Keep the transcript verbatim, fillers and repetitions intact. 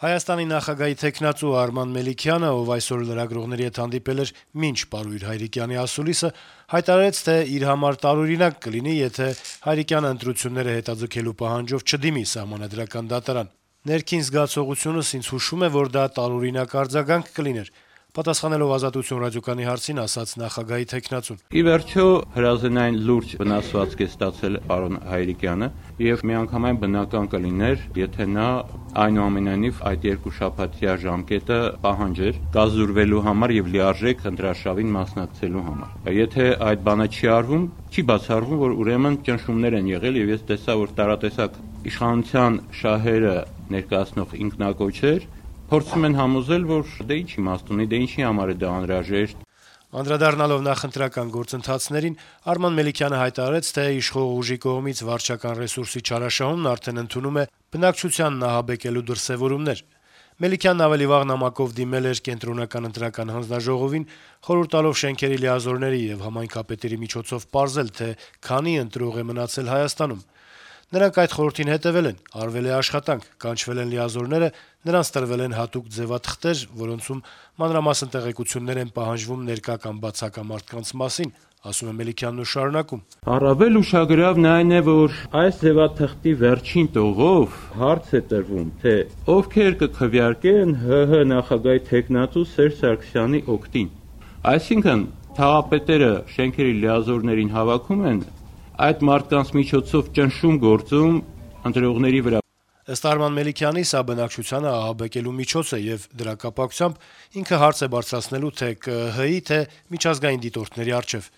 Հայաստանի նախագահի թեկնածու Արման Մելիքյանը, ով այսօր լրագրողների հետ հանդիպել էր մինչ Պարույր Հայրիկյանի ասուլիսը, հայտարարեց, թե իր համար տարօրինակ կլինի, եթե Հայրիկյանը ընտրությունները հետաձգելու պահանջով չդիմի Սահմանադրական դատարան։ «Ներքին զգացողությունս ինձ հուշում է, որ դա տարօրինակ արձագանք կլիներ», պատասխանելով «Ազատություն» ռադիոկայանի հարցին, ասաց նախագահի թեկնածուն. Ի վերջո հրազենային լուրջ վնասվածք է ստացել պարոն Հայրիկյանը եւ միանգամայն բնական կլիներ, եթե նա այնուամենայնիվ այդ երկու շաբաթյա ժամկետը պահանջեր կազդուրվելու համար եւ լիարժեք ընտրարշավին մասնակցելու համար։ Եթե այդ բանը չի արվում, չի բացառվում, որ ուրեմն ճնշումներ են եղել եւ ես տեսա, որ տարատեսակ իշխանության շահերը ներկայացնող ինքնակոչեր փորձում են համոզել, որ դե ինչ իմաստ ունի, դե ինչի համար է դա անհրաժեշտ։ Անդրադառնալով նախընտրական գործընթացներին, Արման Մելիքյանը հայտարարեց, թե իշխող ուժի կողմից վարչական ռեսուրսի չարաշահումն արդեն ընդունում է բնակչության նահաբեկելու դրսեւորումներ։ Մելիքյանն ավելի վաղ նամակով դիմել էր Կենտրոնական ընտրական հանձնաժողովին, խորհուրդ տալով շենքերի լիազորների եւ համայնքապետերի միջոցով պարզել, թե քանի ընտրող է մնացել Հայաստանում։ Նրանք այդ խորհրդին հետեւել են, արվել է աշխատանք, կանչվել են լիազորները, նրանց տրվել են հատուկ ձեւաթղթեր, որոնցում մանրամասն տեղեկություններ են պահանջվում ներկա կամ բացակա մարդկանց մասին, ասում է Մելիքյանն ու շարունակում. Առավել ուշագրավն այն է, որ այս ձեւաթղթի վերջին տողով հարց է տրվում, թե ովքեր կքվեարկեն ՀՀ նախագահի թեկնածու Սերժ Սարգսյանի օգտին։ Այսինքն թաղապետերը շենքերի լիազորներին հավաքում են, այդ մարդկանց միջոցով ճնշում գործում ընտրողների վրա։ Ըստ Արման Մելիքյանի, սա բնակչությանը ահաբեկելու միջոց է եւ դրա կապակցությամբ ինքը հարց է բարձրացնելու թե ԿԸՀ-ի, թե միջազգային դիտորդների առջեւ։